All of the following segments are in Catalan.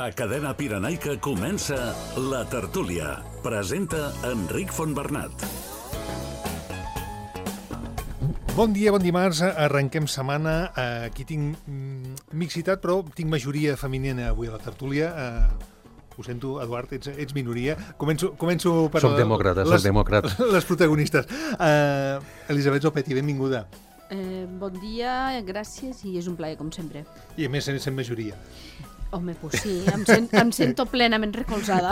A Cadena Pirenaica comença La Tertúlia. Presenta Enric Fontbernat. Bon dia, bon dimarts. Arrenquem setmana. Aquí tinc mixitat, però tinc majoria femenina avui a La Tertúlia. Ho sento, Eduard, ets minoria. Començo per... Soc demòcrata. Les protagonistes. Elisabet Zopetti, benvinguda. Bon dia, gràcies, i és un plaer, com sempre. I a més, sent majoria. Home, doncs sí, em sento plenament recolzada.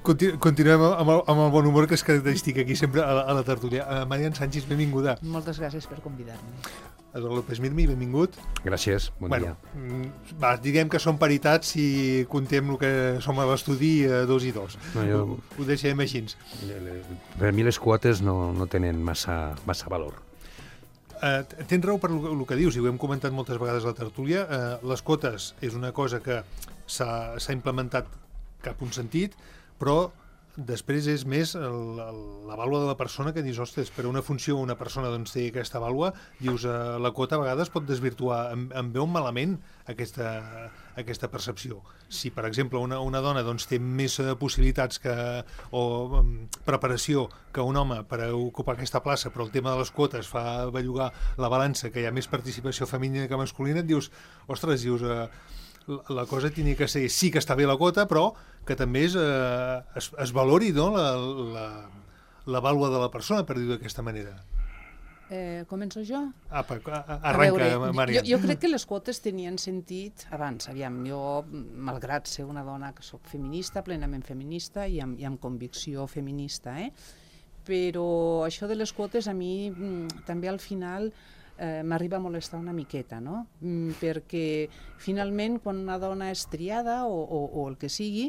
Continuem amb el bon humor que és característic aquí sempre a La Tertúlia. Marian Sánchez, benvinguda. Moltes gràcies per convidar-me. Eduard López Mirmi, benvingut. Gràcies, bon dia. Diguem que som paritats si contem el que som a l'estudi 2 i 2. No, ho deixem així. Per mi les quotes no tenen massa valor. Tens raó per el que dius, i ho hem comentat moltes vegades a La Tertúlia. Les quotes és una cosa que s'ha implementat cap un sentit, però després és més la vàlua de la persona que dius, ostres, per una funció una persona doncs, té aquesta vàlua, dius, la quota a vegades pot desvirtuar, em veu malament aquesta percepció. Si, per exemple, una dona doncs, té més possibilitats o preparació que un home per ocupar aquesta plaça, però el tema de les quotes fa bellugar la balança, que hi ha més participació femenina que masculina, et dius, ostres, la cosa hauria que ser, sí que està bé la quota, però que també es valori, no, la vàlua de la persona, per dir-ho d'aquesta manera. Començo jo? Arranca, Maria. Jo crec que les quotes tenien sentit abans. Aviam, jo, malgrat ser una dona que soc feminista, plenament feminista i amb convicció feminista, però això de les quotes a mi també al final m'arriba a molestar una miqueta, no? Perquè finalment quan una dona és triada o el que sigui,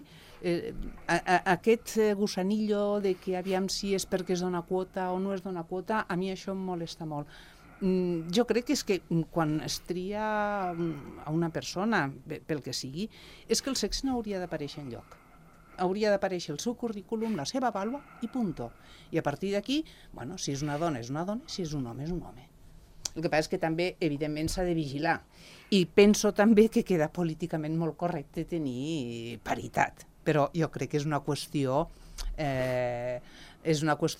aquest gusanillo de que aviam si és perquè es dona quota o no es dona quota, a mi això em molesta molt. Jo crec que és que quan es tria a una persona, pel que sigui, és que el sexe no hauria d'aparèixer enlloc. Hauria d'aparèixer el seu currículum, la seva vàlua i punto. I a partir d'aquí, bueno, si és una dona, si és un home, és un home. El que passa és que també, evidentment, s'ha de vigilar. I penso també que queda políticament molt correcte tenir paritat. Però jo crec que és una qüestió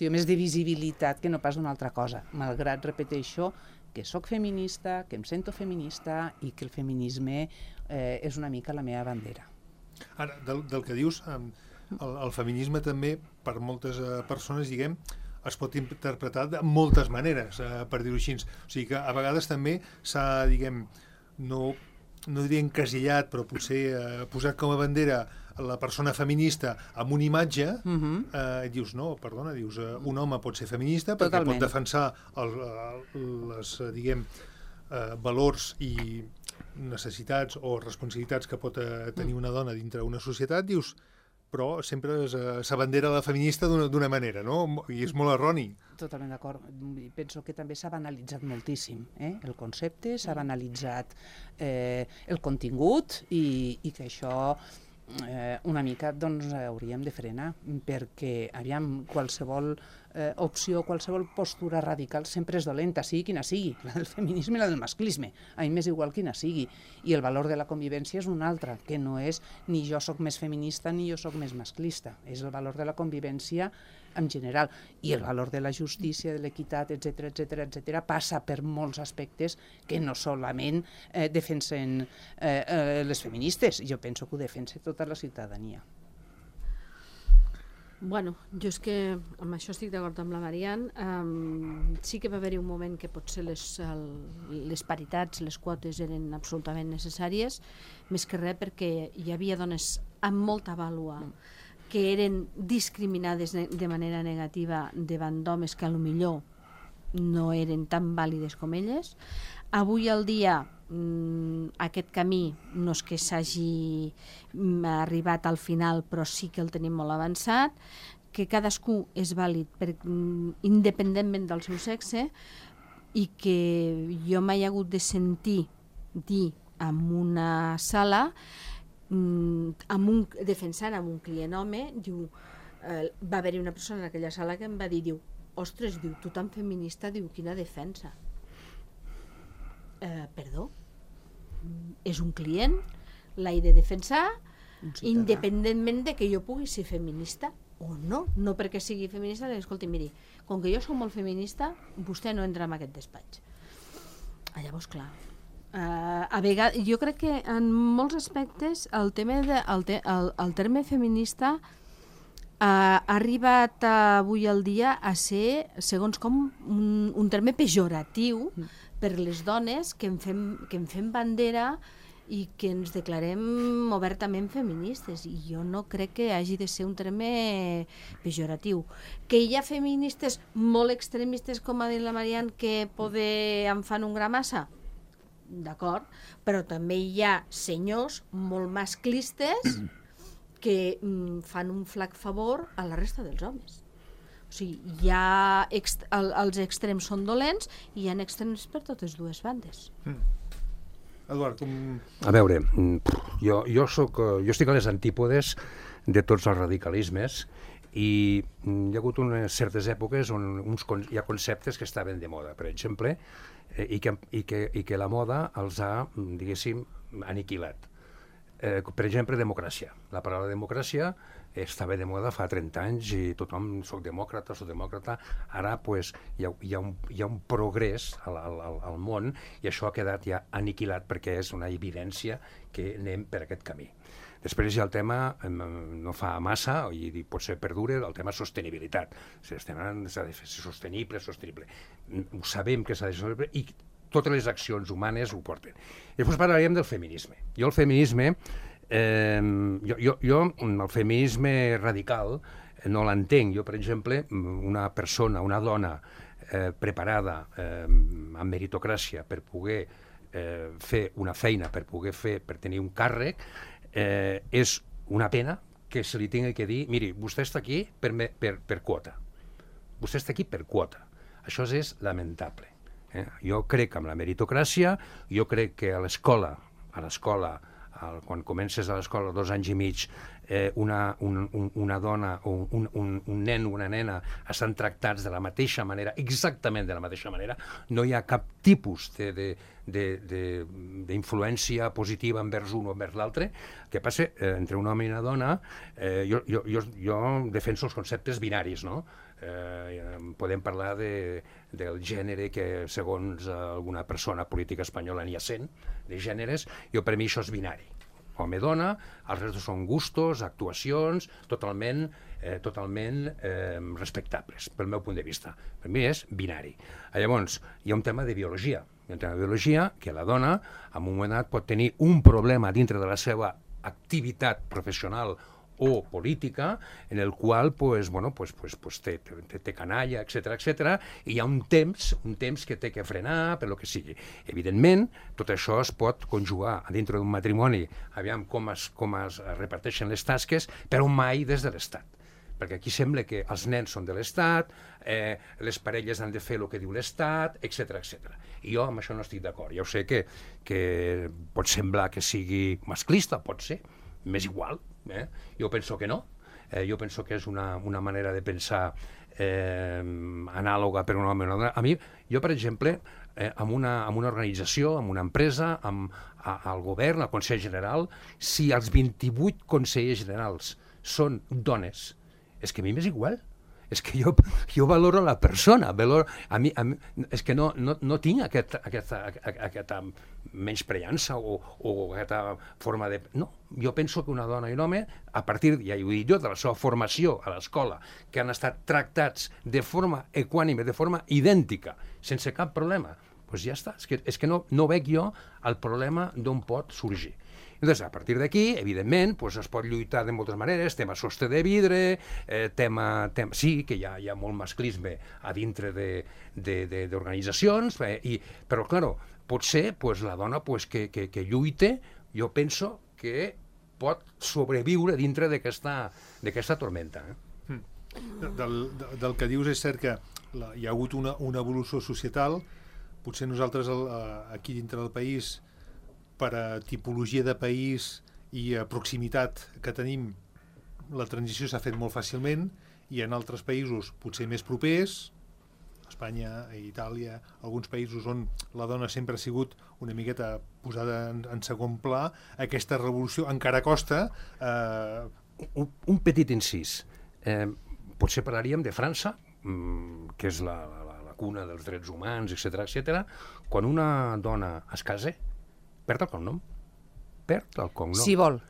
més de visibilitat que no pas d'una altra cosa. Malgrat, repeteixo, que sóc feminista, que em sento feminista i que el feminisme és una mica la meva bandera. Ara, del que dius, el feminisme també, per moltes persones, diguem, es pot interpretar de moltes maneres, per dir-ho així. O sigui que a vegades també s'ha, diguem, no diria encasillat, però potser posat com a bandera la persona feminista amb una imatge, dius, no, perdona, un home pot ser feminista perquè pot defensar els, diguem, valors i necessitats o responsabilitats que pot tenir una dona dintre una societat, dius, però sempre s'abandera la feminista d'una manera, no? I és molt erroni. Totalment d'acord. Penso que també s'ha banalitzat moltíssim, el concepte, s'ha banalitzat el contingut i que això una mica doncs hauríem de frenar, perquè aviam, qualsevol opció, qualsevol postura radical sempre és dolenta, sigui quina sigui, la del feminisme i la del masclisme, a mi m'és igual quina sigui, i el valor de la convivència és un altre, que no és ni jo sóc més feminista ni jo sóc més masclista, és el valor de la convivència en general, i el valor de la justícia, de l'equitat, etc. passa per molts aspectes que no solament defensen les feministes, jo penso que ho defensa tota la ciutadania. Bueno, jo és que amb això estic d'acord amb la Marian. Sí que va haver-hi un moment que potser les paritats, les quotes eren absolutament necessàries, més que res perquè hi havia dones amb molta vàlua que eren discriminades de manera negativa davant d'homes que potser no eren tan vàlides com elles. Avui al dia aquest camí no és que s'hagi arribat al final, però sí que el tenim molt avançat, que cadascú és vàlid independentment del seu sexe, i que jo m'he hagut de sentir dir en una sala defensant amb un client home, va haver-hi una persona en aquella sala que em va dir, ostres, tu tan feminista, quina defensa. Perdó? És un client, l'he de defensar, Un ciutadà. independentment de que jo pugui ser feminista o no. No perquè sigui feminista, escolti, miri, com que jo soc molt feminista, vostè no entra en aquest despatx. Llavors, clar, a vegades, jo crec que en molts aspectes el terme feminista ha arribat avui al dia a ser, segons com, un terme pejoratiu per les dones que en fem bandera i que ens declarem obertament feministes, i jo no crec que hagi de ser un terme pejoratiu. Que hi ha feministes molt extremistes, com ha dit la Marian, que poder en fan un gra massa, d'acord, però també hi ha senyors molt masclistes que fan un flac favor a la resta dels homes. O sigui, els extrems són dolents i hi ha extrems per totes dues bandes. Eduard, com... A veure, jo estic a les antípodes de tots els radicalismes i hi ha hagut unes certes èpoques on hi ha conceptes que estaven de moda, per exemple, i que la moda els ha, diguéssim, aniquilat. Per exemple, democràcia. La paraula democràcia estava de moda fa 30 anys i tothom soc demòcrata. Ara pues, hi ha un progrés al món i això ha quedat ja aniquilat perquè és una evidència que anem per aquest camí. Després hi ha el tema, no fa massa, i potser perdura, el tema sostenibilitat. S'ha de fer sostenible. Ho sabem que s'ha de fer sostenible i totes les accions humanes ho porten. I després parlaríem del feminisme. Jo el feminisme radical no l'entenc. Jo, per exemple, una persona, una dona preparada amb meritocràcia per poder fer una feina, per tenir un càrrec, és una pena que se li tingui que dir, miri, vostè està aquí per quota. Vostè està aquí per quota. Això és lamentable. Jo crec en la meritocràcia, jo crec que a l'escola, quan comences a l'escola 2 anys i mig, una dona o un nen o una nena estan tractats de la mateixa manera, exactament de la mateixa manera, no hi ha cap tipus d'influència positiva envers un o envers l'altre. Què passa? Entre un home i una dona, jo defenso els conceptes binaris, no? Podem parlar del gènere que segons alguna persona política espanyola n'hi ha 100 de gèneres. Per mi això és binari, home-dona, els restos són gustos, actuacions totalment respectables pel meu punt de vista. Per mi és binari. Llavors hi ha un tema de biologia, que la dona en un moment donat pot tenir un problema dintre de la seva activitat professional o política, en el qual té canalla, etc. I hi ha un temps que té que frenar, per lo que sigui. Evidentment, tot això es pot conjugar dintre d'un matrimoni, aviam com es reparteixen les tasques, però mai des de l'Estat. Perquè aquí sembla que els nens són de l'Estat, les parelles han de fer el que diu l'Estat, etc. I jo amb això no estic d'acord. Ja ho sé que pot semblar que sigui masclista, pot ser, m'és igual. Jo penso que no. Jo penso que és una manera de pensar anàloga per un home o una dona. Jo, per exemple, amb una organització, amb una empresa, al govern, al Consell General, si els 28 consellers generals són dones, és que a mi m'és igual. És que jo valoro la persona, és que no tinc aquesta menyspreança o aquesta forma de... No, jo penso que una dona i un home, a partir, ja ho he dit jo, de la seva formació a l'escola, que han estat tractats de forma equànime, de forma idèntica, sense cap problema, doncs ja està. És que no veig jo el problema d'on pot sorgir. Llavors, a partir d'aquí, evidentment, es pot lluitar de moltes maneres, tema sostre de vidre, sí que hi ha molt masclisme a dintre d'organitzacions, però, clar, potser la dona que lluita, jo penso que pot sobreviure dintre d'aquesta tormenta. Del que dius és cert que hi ha hagut una evolució societal. Potser nosaltres aquí dintre del país, per a tipologia de país i a proximitat que tenim, la transició s'ha fet molt fàcilment, i en altres països potser més propers Espanya, Itàlia, alguns països on la dona sempre ha sigut una miqueta posada en segon pla, aquesta revolució encara costa. Un petit incís. Potser parlaríem de França, que és la cuna dels drets humans, etc. Quan una dona es casa, perd el cognom. Perd el cognom. Si vol.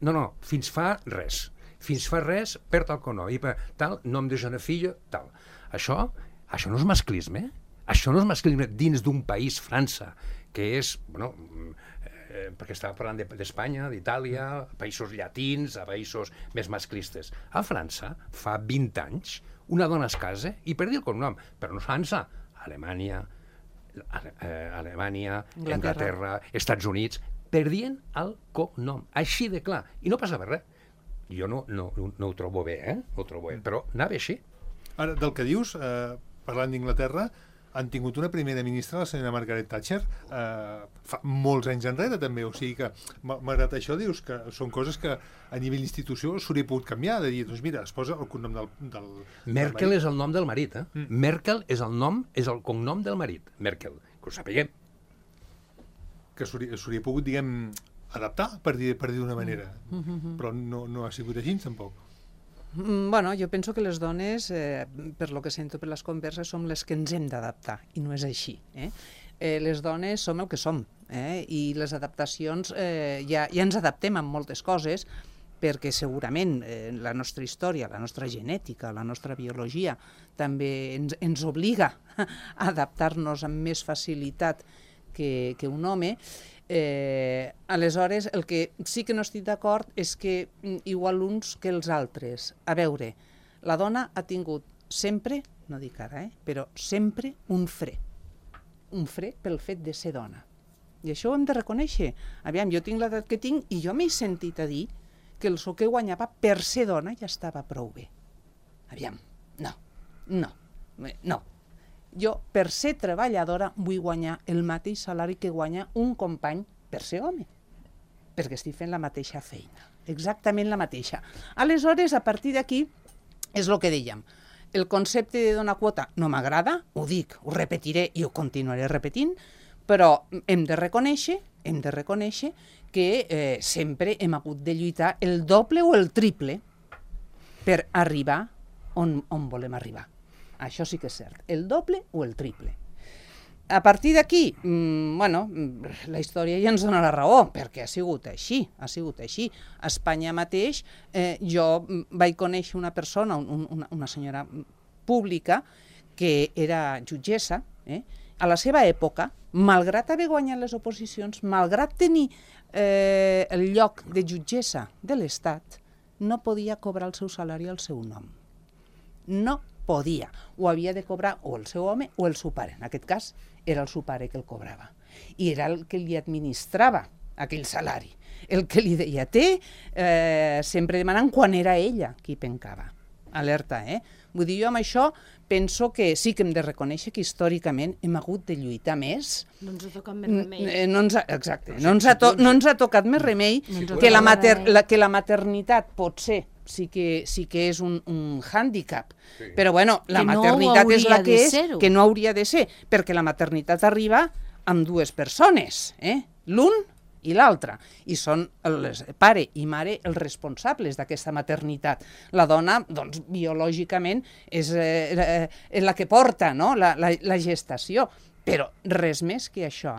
No, fins fa res. Fins fa res, perd el cognom. I tal, nom de jeune fille, tal. Això no és masclisme. Això no és masclisme dins d'un país, França, que és, perquè estava parlant d'Espanya, d'Itàlia, països llatins, a països més masclistes. A França, fa 20 anys, una dona es casa i perdia el cognom. Però no és França. Alemanya, Anglaterra, Estats Units, perdien el cognom. Així de clar. I no passava res. Jo no ho trobo bé, No ho trobo bé, però anava així. Ara, del que dius, parlant d'Inglaterra, han tingut una primera ministra, la senyora Margaret Thatcher, fa molts anys enrere també, o sigui que, malgrat això, dius que són coses que a nivell d'institució s'hauria pogut canviar, de dir, doncs mira, es posa el cognom del Merkel és el nom del marit, Merkel és el cognom del marit, Merkel, que ho sapiguem. Que s'hauria pogut, diguem, adaptar, per dir d'una manera, però no ha sigut així, tampoc. Bueno, jo penso que les dones, per lo que sento per les converses, som les que ens hem d'adaptar, i no és així. Les dones som el que som, i les adaptacions, ja ens adaptem amb moltes coses, perquè segurament la nostra història, la nostra genètica, la nostra biologia, també ens obliga a adaptar-nos amb més facilitat que un home. Aleshores, el que sí que no estic d'acord és que igual uns que els altres. A veure, la dona ha tingut sempre, no dic ara, però sempre un fre pel fet de ser dona. I això ho hem de reconèixer. Aviam, jo tinc l'edat que tinc i jo m'he sentit a dir que el sou que guanyava per ser dona ja estava prou bé. Aviam, no. Jo, per ser treballadora, vull guanyar el mateix salari que guanya un company per ser home, perquè estic fent la mateixa feina, exactament la mateixa. Aleshores, a partir d'aquí, és el que dèiem, el concepte de donar quota no m'agrada, ho dic, ho repetiré i ho continuaré repetint, però hem de reconèixer que sempre hem hagut de lluitar el doble o el triple per arribar on volem arribar. Això sí que és cert, el doble o el triple. A partir d'aquí, la història ja ens dona la raó, perquè ha sigut així. A Espanya mateix, jo vaig conèixer una persona, una senyora pública, que era jutgessa, a la seva època, malgrat haver guanyat les oposicions, malgrat tenir el lloc de jutgessa de l'Estat, no podia cobrar el seu salari al seu nom. No podia. Ho havia de cobrar o el seu home o el seu pare. En aquest cas, era el seu pare que el cobrava. I era el que li administrava aquell salari. El que li deia, sempre demanant quan era ella qui pencava. Alerta, Vull dir, jo amb això penso que sí que hem de reconèixer que històricament hem hagut de lluitar més. No ens ha tocat més remei. Exacte, no ens ha tocat més remei que la maternitat potser sí que és un hàndicap. Però bueno, la maternitat és la que és, que no hauria de ser, perquè la maternitat arriba amb dues persones, l'un i l'altre, i són pare i mare els responsables d'aquesta maternitat. La dona, doncs, biològicament és la que porta, no?, la gestació, però res més que això,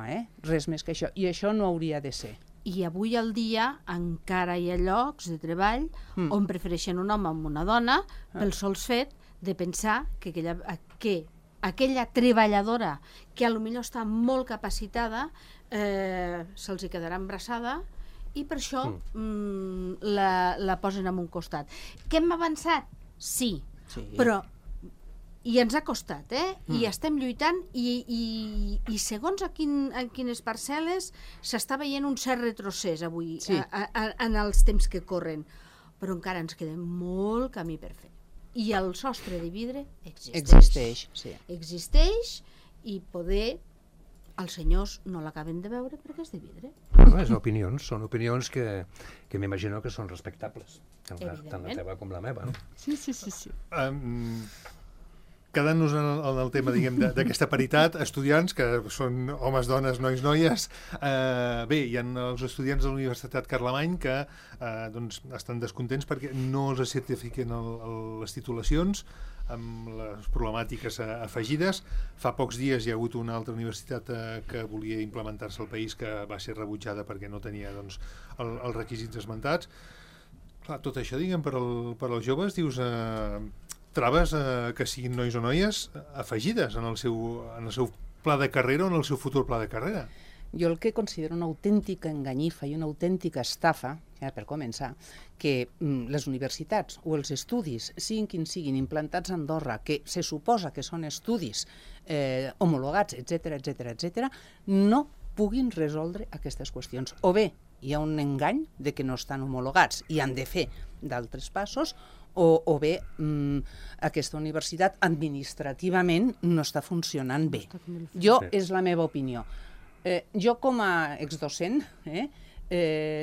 res més que això, i això no hauria de ser. I avui al dia encara hi ha llocs de treball on prefereixen un home amb una dona pel sols fet de pensar que aquella treballadora que potser està molt capacitada se'ls quedarà embarassada i per això la posen en un costat. Que hem avançat? Sí. Però i ens ha costat, i estem lluitant i segons en quines parcel·les s'està veient un cert retrocés avui en els temps que corren, però encara ens queda molt camí per fer. I el sostre de vidre existeix. Existeix i poder els senyors no l'acaben de veure perquè és de vidre. Són opinions que m'imagino que són respectables, tant la teva com la meva. Sí. quedant-nos en el tema, diguem, d'aquesta paritat, estudiants, que són homes, dones, nois, noies, bé, hi ha els estudiants de la Universitat Carlemany que doncs, estan descontents perquè no els certifiquen les titulacions amb les problemàtiques afegides. Fa pocs dies hi ha hagut una altra universitat que volia implementar-se al país que va ser rebutjada perquè no tenia doncs, els requisits esmentats. Clar, tot això, diguem, per als joves, dius... traves que siguin nois o noies afegides en el seu pla de carrera o en el seu futur pla de carrera. Jo el que considero una autèntica enganyifa i una autèntica estafa, per començar, que les universitats o els estudis, siguin quins siguin, implantats a Andorra, que se suposa que són estudis homologats, etc., no puguin resoldre aquestes qüestions. O bé hi ha un engany de que no estan homologats i han de fer d'altres passos, o bé aquesta universitat administrativament no està funcionant bé. És la meva opinió. Jo com a exdocent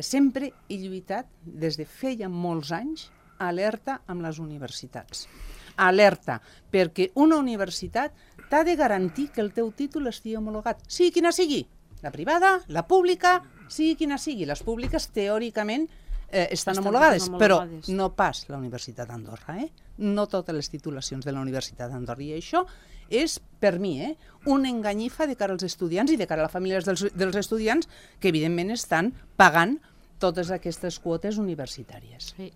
sempre he lluitat des de feia molts anys alerta amb les universitats. Alerta, perquè una universitat t'ha de garantir que el teu títol estigui homologat, sigui quina sigui, la privada, la pública, sigui quina sigui. Les públiques teòricament estan homologades, però no pas la Universitat d'Andorra. No totes les titulacions de la Universitat d'Andorra. I això és, per mi, una enganyifa de cara als estudiants i de cara a les famílies dels estudiants que, evidentment, estan pagant totes aquestes quotes universitàries. Sí.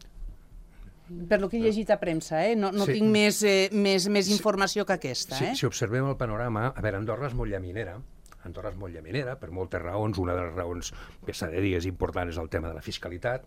Per lo que he llegit a premsa, no tinc més informació que aquesta. Si observem el panorama, a veure, Andorra és molt llaminera, per moltes raons. Una de les raons que s'ha de dir és important és el tema de la fiscalitat.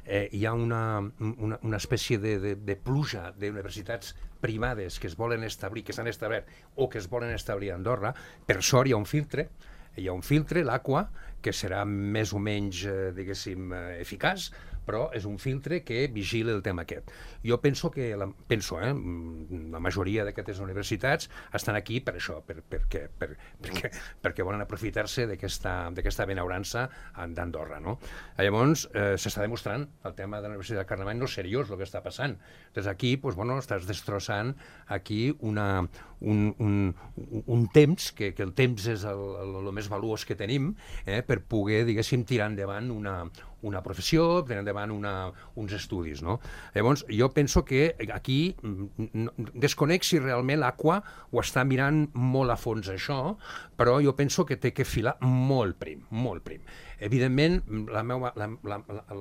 Hi ha una espècie de pluja d'universitats privades que es volen establir, que s'han establert o que es volen establir a Andorra. Per sort hi ha un filtre, l'Aqua, que serà més o menys, diguéssim, eficaç, però és un filtre que vigila el tema aquest. Jo penso que, la majoria d'aquestes universitats estan aquí per això, perquè volen aprofitar-se d'aquesta benaurança d'Andorra, no? Llavors, s'està demostrant el tema de la Universitat de Carlemany no és seriós el que està passant. Doncs aquí, estàs destrossant aquí un temps, que el temps és el més valuós que tenim, per poder, diguéssim, tirar endavant una professió, tirar endavant uns estudis, no? Llavors, jo penso que aquí desconec si realment l'Aqua ho està mirant molt a fons això, però jo penso que té que filar molt prim. Evidentment, la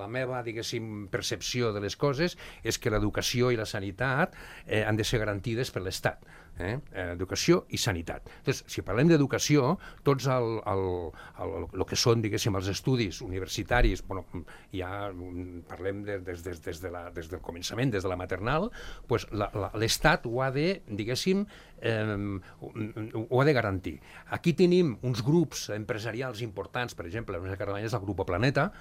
meva, diguéssim, percepció de les coses és que l'educació i la sanitat han de ser garantides per l'Estat. Educació i sanitat. Doncs, si parlem d'educació, tots el que són, diguéssim, els estudis universitaris, ja parlem des del començament, des de la maternal, l'Estat ho ha de, diguéssim, ho ha de garantir. Aquí tenim uns grups empresarials importants, per exemple, la Universitat de Carlemany és el Grupo Planeta,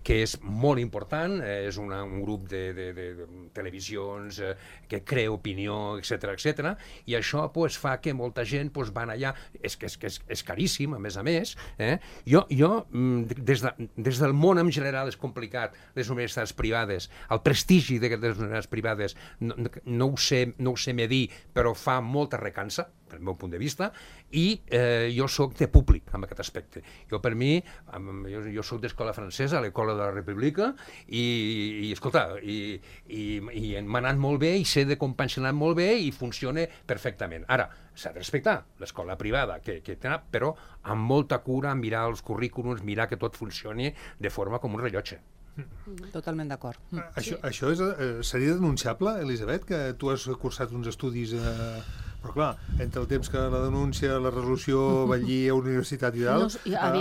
que és molt important, és un grup de televisions que crea opinió, etc. I això fa que molta gent van allà, és caríssim, a més. Jo, des del món en general és complicat, les universitats privades, el prestigi de les universitats privades no ho sé medir, però fa molta recança, pel meu punt de vista, i jo soc de públic en aquest aspecte. Per mi, jo soc d'escola francesa, a l'École de la République, i escolta, m'ha anat molt bé i sé de com pensionar molt bé i funciona perfectament. Ara, s'ha de respectar l'escola privada, però amb molta cura, mirar els currículums, mirar que tot funcioni de forma com un rellotge. Totalment d'acord. Això seria denunciable, Elisabet, que tu has cursat uns estudis... Però clar, entre el temps que la denúncia, la resolució, vetllir a universitat i tal,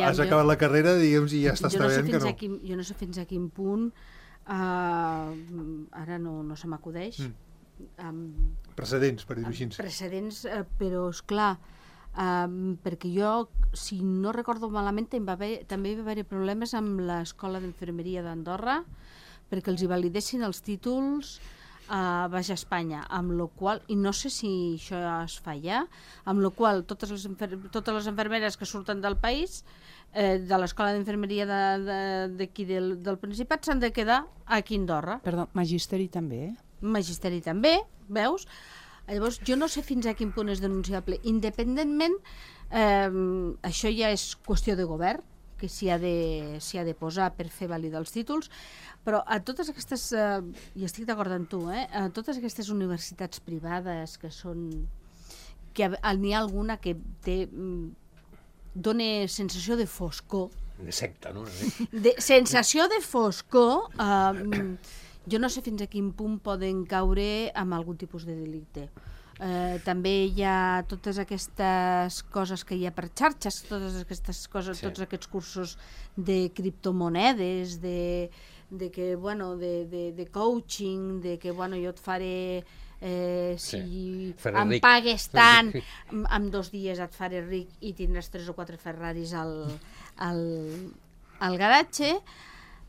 has acabat la carrera, diguem, i ja estàs sabent que no. Jo no sé fins a quin punt, ara no se m'acudeix. Precedents, per dir-ho així. Precedents, però esclar, perquè jo, si no recordo malament, també hi va haver problemes amb l'Escola d'Infermeria d'Andorra perquè els hi validessin els títols a Baix Espanya, amb la qual, i no sé si això es fa ja, amb la qual totes les infermeres que surten del país, de l'Escola d'Infermeria d'aquí del Principat, s'han de quedar aquí a Andorra. Perdó, magisteri també, Magisteri també, veus? Llavors, jo no sé fins a quin punt és denunciable. Independentment, això ja és qüestió de govern, que s'hi ha de posar per fer validar els títols, però a totes aquestes, i estic d'acord amb tu, a totes aquestes universitats privades que són, que n'hi ha alguna que dona sensació de foscor. De secta, no? Sensació de foscor, jo no sé fins a quin punt poden caure amb algun tipus de delicte. També hi ha totes aquestes coses que hi ha per xarxes, totes aquestes coses, tots aquests cursos de criptomonedes, de coaching, de que jo et faré, si em pagues tant, en 2 dies et faré ric i tindràs 3 o 4 Ferraris al garatge.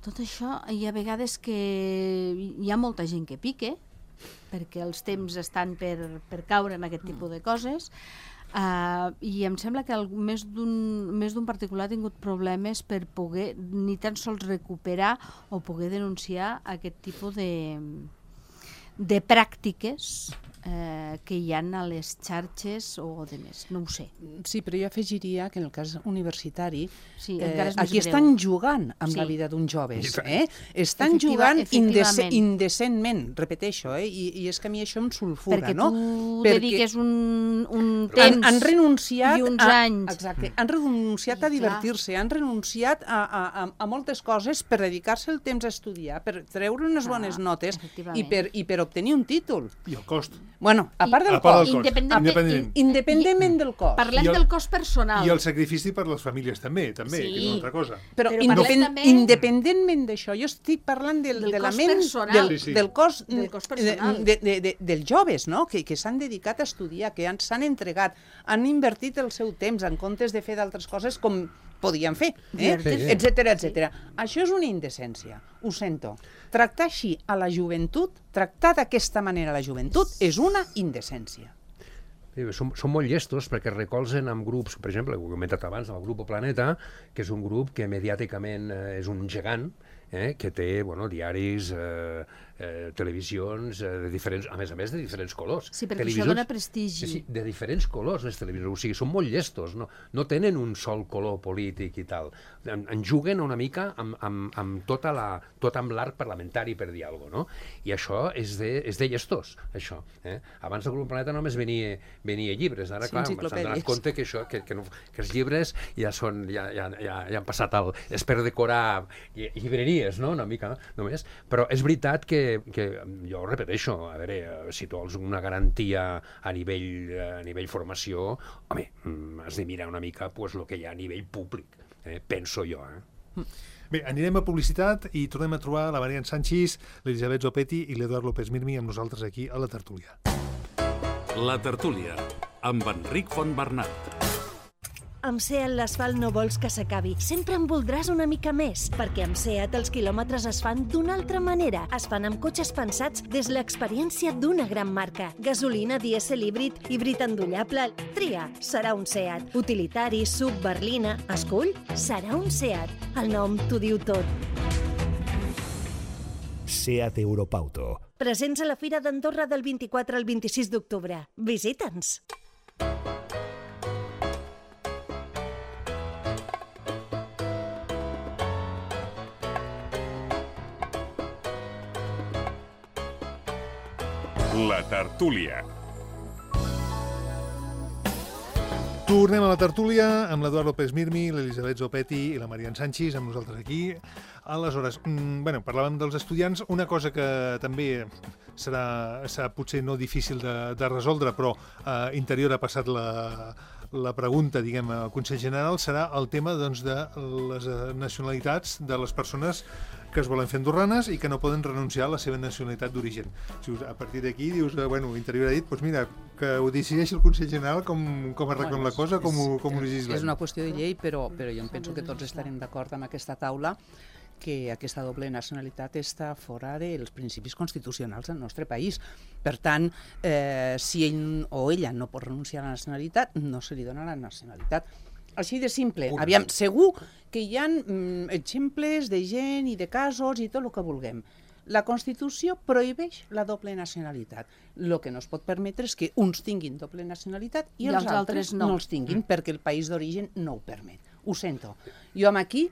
Tot això hi ha vegades que hi ha molta gent que pique, perquè els temps estan per caure en aquest tipus de coses, i em sembla que més d'un particular ha tingut problemes per poder ni tan sols recuperar o poder denunciar aquest tipus de pràctiques que hi ha a les xarxes o de més, no ho sé. Sí, però jo afegiria que en el cas universitari aquí estan jugant amb la vida d'uns joves. Estan jugant indecentment, repeteixo, i és que a mi això em sulfura. Perquè tu dediques un temps han renunciat i uns anys. Exacte, han renunciat a divertir-se, han renunciat a moltes coses per dedicar-se el temps a estudiar, per treure unes bones notes i per obtenir un títol. I el cost. Bueno, a part del cost. Independentment del cost. Parlem del cost personal. I el sacrifici per les famílies també, que és una altra cosa. Però independentment d'això, jo estic parlant del cost personal dels joves, no? Que s'han dedicat a estudiar, que s'han entregat, han invertit el seu temps en comptes de fer d'altres coses com podien fer, etcètera. Això és una indecència, ho sento. Tractar així a la joventut, tractar d'aquesta manera a la joventut, és una indecència. Són molt llestos perquè recolzen amb grups, per exemple, ho he comentat abans, el grup Planeta, que és un grup que mediàticament és un gegant, que té diaris, televisions, a més de diferents colors. Sí, perquè això dona prestigi. Sí, de diferents colors, les televisions. O sigui, són molt llestos, no tenen un sol color polític i tal. En juguen una mica amb tot amb l'arc parlamentari, per dir alguna cosa, no? I això és de llestos, això. Abans el Grup Planeta només venia llibres. Ara, clar, s'han donat compte que els llibres ja han passat és per decorar llibreries, no? Una mica, només. Però és veritat que jo repeteixo, a veure, si tu vols una garantia a nivell formació, home, has de mirar una mica el que hi ha a nivell públic, penso jo. Bé, anirem a publicitat i tornem a trobar la Marian Sanchis, l'Elisabet Zopetti i l'Eduard López Mirmi amb nosaltres aquí a la tertúlia. La tertúlia, amb Enric Fontbernat. Amb SEAT l'asfalt no vols que s'acabi. Sempre en voldràs una mica més, perquè amb SEAT els quilòmetres es fan d'una altra manera. Es fan amb cotxes pensats des l'experiència d'una gran marca. Gasolina, dièsel, híbrid endollable. Tria, serà un SEAT. Utilitari, SUV, berlina. Escull, serà un SEAT. El nom t'ho diu tot. SEAT Europauto. Presents a la Fira d'Andorra del 24 al 26 d'octubre. Visita'ns! La tertúlia. Tornem a la tertúlia amb l'Eduard López Mirmi, l'Elisabet Zopetti i la Marian Sanchis, amb nosaltres aquí. Aleshores, parlàvem dels estudiants. Una cosa que també serà potser no difícil de resoldre, però Interior ha passat la pregunta, diguem, al Consell General, serà el tema de les nacionalitats de les persones que es volen fer andorranes i que no poden renunciar a la seva nacionalitat d'origen. A partir d'aquí dius, Interior ha dit, doncs mira, que ho decideixi el Consell General com arreglen la cosa, com ho legislem. És una qüestió de llei, però jo em penso que tots estarem d'acord amb aquesta taula que aquesta doble nacionalitat està fora dels principis constitucionals del nostre país. Per tant, si ell o ella no pot renunciar a la nacionalitat, no se li dona la nacionalitat. Així de simple. Aviam, segur que hi ha exemples de gent i de casos i tot el que vulguem. La Constitució prohibeix la doble nacionalitat. El que no es pot permetre és que uns tinguin doble nacionalitat i els altres no els tinguin, perquè el país d'origen no ho permet. Ho sento. Jo aquí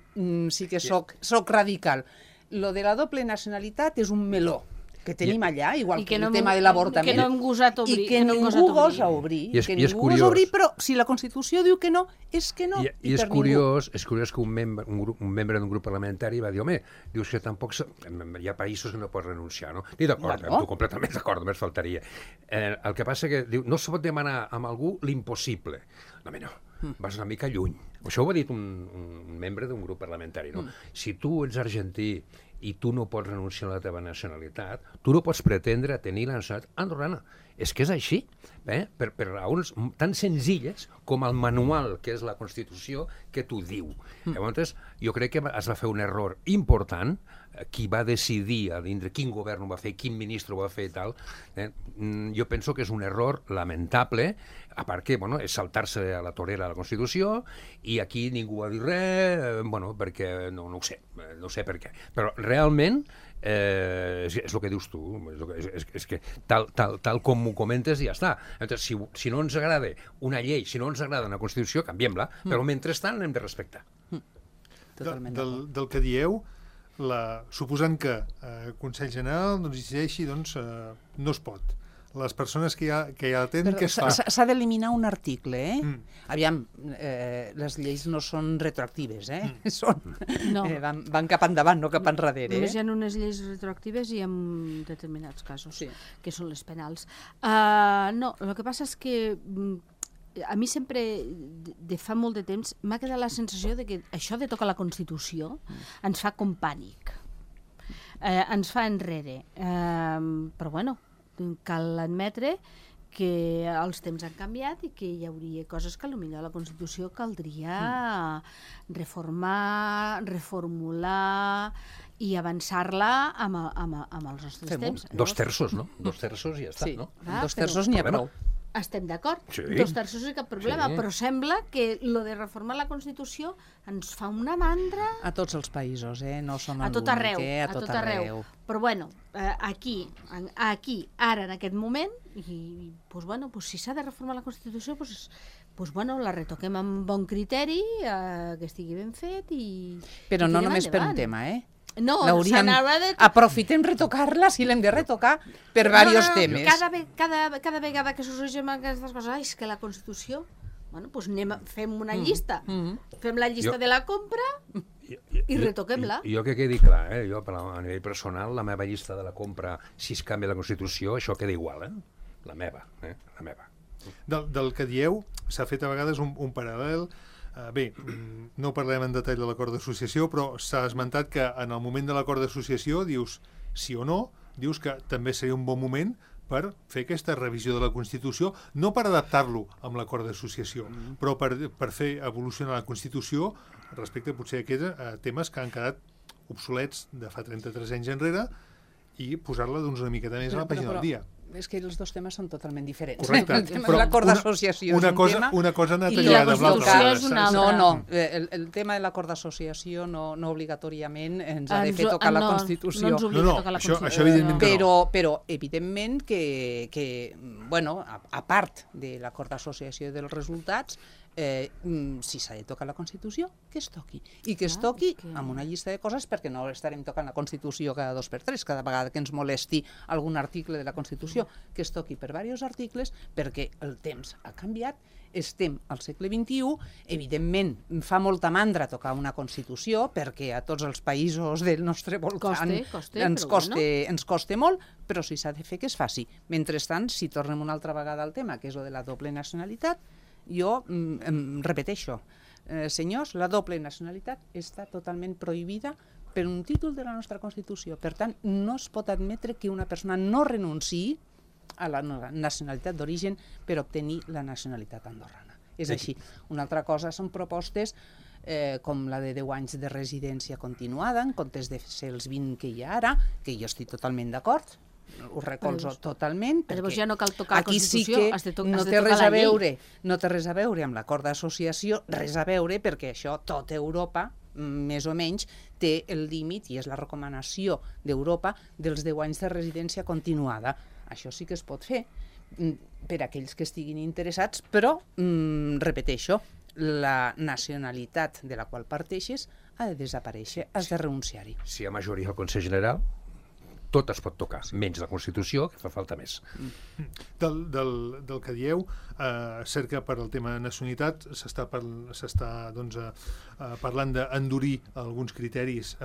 sí que soc radical. Lo de la doble nacionalitat és un meló que tenim allà, igual que el tema de l'avortament. Que no hem gosat obrir. I que ningú gosa obrir. I és curiós. Però si la Constitució diu que no, és que no. I és curiós que un membre d'un grup parlamentari va dir, home, dius que tampoc hi ha països que no pots renunciar, no? I d'acord, amb tu completament d'acord, només faltaria. El que passa que diu, no se pot demanar a algú l'impossible. No, home, no. Vas una mica lluny. Això ho ha dit un membre d'un grup parlamentari, no? Si tu ets argentí i tu no pots renunciar a la teva nacionalitat, tu no pots pretendre tenir la nacionalitat andorrana. És que és així, per raons tan senzilles com el manual, que és la Constitució, que t'ho diu. Llavors, jo crec que es va fer un error important, qui va decidir a dintre quin govern ho va fer, quin ministre ho va fer i tal. Jo penso que és un error lamentable, a part que és saltar-se a la torera de la Constitució, i aquí ningú va dir res, perquè no ho sé per què. Però realment és el que dius tu, és que tal com ho comentes ja està. Si no ens agrada una llei, si no ens agrada una Constitució, canviem-la, però mentrestant l'hem de respectar. Del que dieu, suposant que el Consell General decideixi, no es pot. Les persones que ja la tenen, què es fa? S'ha d'eliminar un article, Aviam, les lleis no són retroactives, van cap endavant, no cap enrere. Només hi ha unes lleis retroactives i en determinats casos, que són les penals. No, el que passa és que a mi sempre, de fa molt de temps, m'ha quedat la sensació de que això de tocar la Constitució ens fa com pànic. Ens fa enrere. Però bueno, cal admetre que els temps han canviat i que hi hauria coses que potser a la Constitució caldria reformar, reformular i avançar-la amb els nostres temps. 2 terços, no? 2 terços i ja està, no? 2 terços n'hi ha prou. Estem d'acord, Sí. 2 terços és cap problema, però sembla que lo de reformar la Constitució ens fa una mandra A tots els països, no som a tot arreu, a tot arreu. Però bueno, aquí, ara, en aquest moment, i si s'ha de reformar la Constitució, la retoquem amb bon criteri, que estigui ben fet i Però no tirem només per un endavant. tema, No, aprofitem retocar-la si l'hem de retocar per diversos temes. Cada vegada que sorgeixen aquestes coses, és que la Constitució, fem una llista, fem la llista de la compra i retoquem-la. Jo que quedi clar, jo a nivell personal, la meva llista de la compra, si es canvia la Constitució, això queda igual, la meva. Del que dieu, s'ha fet a vegades un paral·lel. Bé, no parlem en detall de l'acord d'associació, però s'ha esmentat que en el moment de l'acord d'associació dius sí o no, dius que també seria un bon moment per fer aquesta revisió de la Constitució, no per adaptar-lo amb l'acord d'associació, però per fer evolucionar la Constitució respecte potser a aquests temes que han quedat obsolets de fa 33 anys enrere i posar-la una miqueta més a la pàgina del dia. És que els dos temes són totalment diferents. Correcte. El tema de l'acord d'associació és un tema... Una cosa ha anat i lligada amb l'altra. és una altra. No, el tema de l'acord d'associació no obligatoriament ens ha de fer tocar la Constitució. No ens obliga a tocar la Constitució. Això evidentment que no. Però evidentment que a part de l'acord d'associació dels resultats, si s'ha de tocar la Constitució, que es toqui. I que es toqui amb una llista de coses, perquè no estarem tocant la Constitució cada 2 per 3, cada vegada que ens molesti algun article de la Constitució, que es toqui per diversos articles, perquè el temps ha canviat, estem al segle XXI, evidentment fa molta mandra tocar una Constitució, perquè a tots els països del nostre voltant ens costa molt, però si s'ha de fer que es faci. Mentrestant, si tornem una altra vegada al tema, que és el de la doble nacionalitat, jo repeteixo, senyors, la doble nacionalitat està totalment prohibida per un títol de la nostra Constitució. Per tant, no es pot admetre que una persona no renunciï a la nacionalitat d'origen per obtenir la nacionalitat andorrana. És així. Una altra cosa són propostes com la de 10 anys de residència continuada, en comptes de ser els 20 que hi ha ara, que jo estic totalment d'acord, ho recolzo totalment, perquè ja no cal tocar la Constitució, has de tocar no té res a veure amb l'acord d'associació, res a veure, perquè això tot Europa més o menys, té el límit, i és la recomanació d'Europa, dels 10 anys de residència continuada. Això sí que es pot fer per a aquells que estiguin interessats, però, repeteixo, la nacionalitat de la qual parteixes ha de desaparèixer, has de renunciar-hi. Si hi ha majoria al Consell General, tot es pot tocar, menys la Constitució, que fa falta més. Del que dieu, cert que per al tema de nacionalitat s'està parlant d'endurir alguns criteris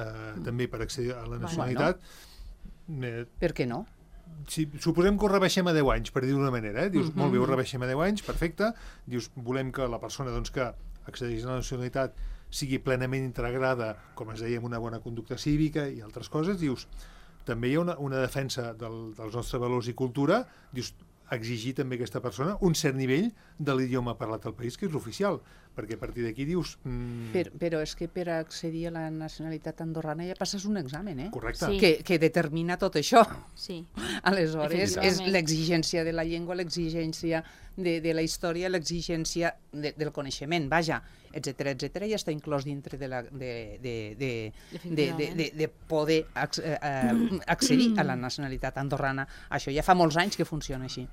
també per accedir a la nacionalitat. Per què no? Si suposem que ho rebaixem a 10 anys, per dir-ho d'una manera, dius, molt bé, ho rebaixem a 10 anys, perfecte, dius, volem que la persona que accedeix a la nacionalitat sigui plenament integrada, com es deia, amb una bona conducta cívica i altres coses, dius, també hi ha una defensa dels nostres valors i cultura, dius, exigir també a aquesta persona un cert nivell de l'idioma parlat al país, que és l'oficial, perquè a partir d'aquí dius... Però és que per accedir a la nacionalitat andorrana ja passes un examen, Correcte. Que determina tot això. Sí. Aleshores, és l'exigència de la llengua, l'exigència de la història, l'exigència del coneixement, vaja, etcètera, ja està inclòs dintre de poder accedir a la nacionalitat andorrana. Això ja fa molts anys que funciona així.